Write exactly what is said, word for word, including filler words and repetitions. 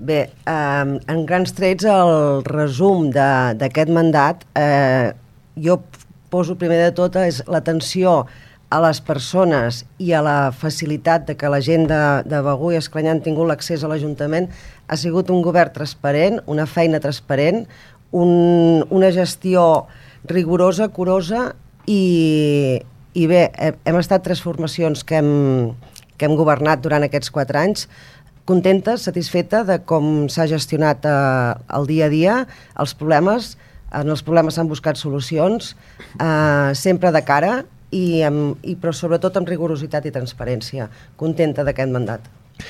Bé, eh, en grans trets el resum d'aquest mandat, eh, jo poso primer de tot és l'atenció a les persones i a la facilitat de que la gent de, de Begur i Esclanyà han tingut l'accés a l'Ajuntament. Ha sigut un govern transparent, una feina transparent, un, una gestió rigorosa, curosa i, i bé, hem estat tres formacions que hem, que hem governat durant aquests quatre anys, contenta, satisfeta de com s'ha gestionat eh, el dia a dia, els problemes, en els problemes s'han buscat solucions, eh, sempre de cara, i, amb, i però sobretot amb rigorositat i transparència. Contenta d'aquest mandat.